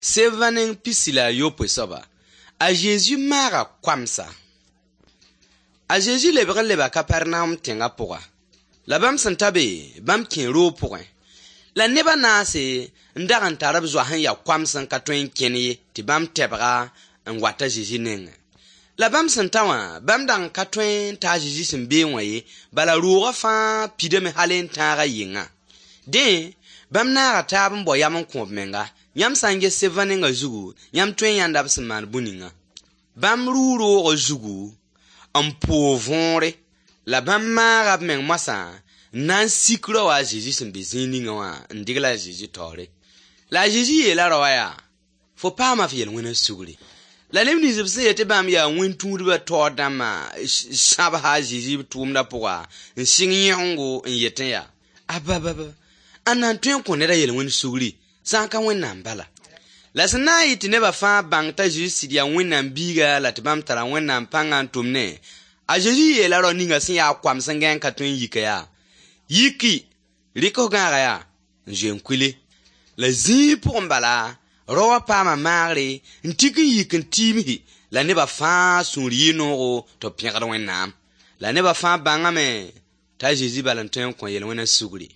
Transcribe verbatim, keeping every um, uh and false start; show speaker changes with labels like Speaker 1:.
Speaker 1: Sebã neng pisi la a yopoe soaba, a Zezi maaga koamsa. A Zezi lebg n leba Kapernaum tẽngã pʋga. La bãmb sẽn ta be, bãmb kẽe roog pʋgẽ. La neb a naase n dag n tar b zoa sẽn ya koams n ka tõe n kẽn ye tɩ bãmb tɛbga n wat a Zezi nengẽ. La bãmb sẽn ta wã, bãmb dag n ka tõe n ta a Zezi sẽn beẽ wã ye, bala roogã fãa pidame hal n tãag a yɩngã. Dẽ, bãmb naaga taab n bao yam n kõ b menga. Yãmb sã n ges sebã nengã zugu, yãmb tõe n yãnda b sẽn maan bũ-ningã. Bãmb rʋʋ roogã zugu n poog võore, la bãmb maaga b meng moasã n na n sik rao a Zezi sẽn be zĩig ninga wã n degl a Zezi taoore. La a Zezi yeela raoã yaa: fo paama f yel-wẽna sugri. La neb nins b sẽn yet tɩ bãmb yaa wẽn-tũudbã taoor dãmbã sãbsa a Zezi b tʋʋmdã pʋga n sɩng yẽgengo n yetẽ yaa: abababa, ãnna n tõe n kõ ned a yel-wẽnd sugri sã n ka Wẽnnaam bala? La sẽn na n yɩ tɩ nebã fãa bãng t'a Zezi sɩd yaa Wẽnnaam biiga la tɩ bãmb tara Wẽnnaam pãngã n tʋmne, a Zezi yeela rao ninga sẽn yaa koams n gãe n ka tõe n yika yaa: yiki, rɩk f gãagã yaa n zoe n kuile. La zĩig pʋgẽ bala, rao wã paama maagre n tik n yik n tiimsi la nebã fãa sũur yɩ noogo tɩ b pẽgd Wẽnnaam. La nebã fãa bãngame t'a Zezi bal n tõe n kõ yel-wẽna sugri.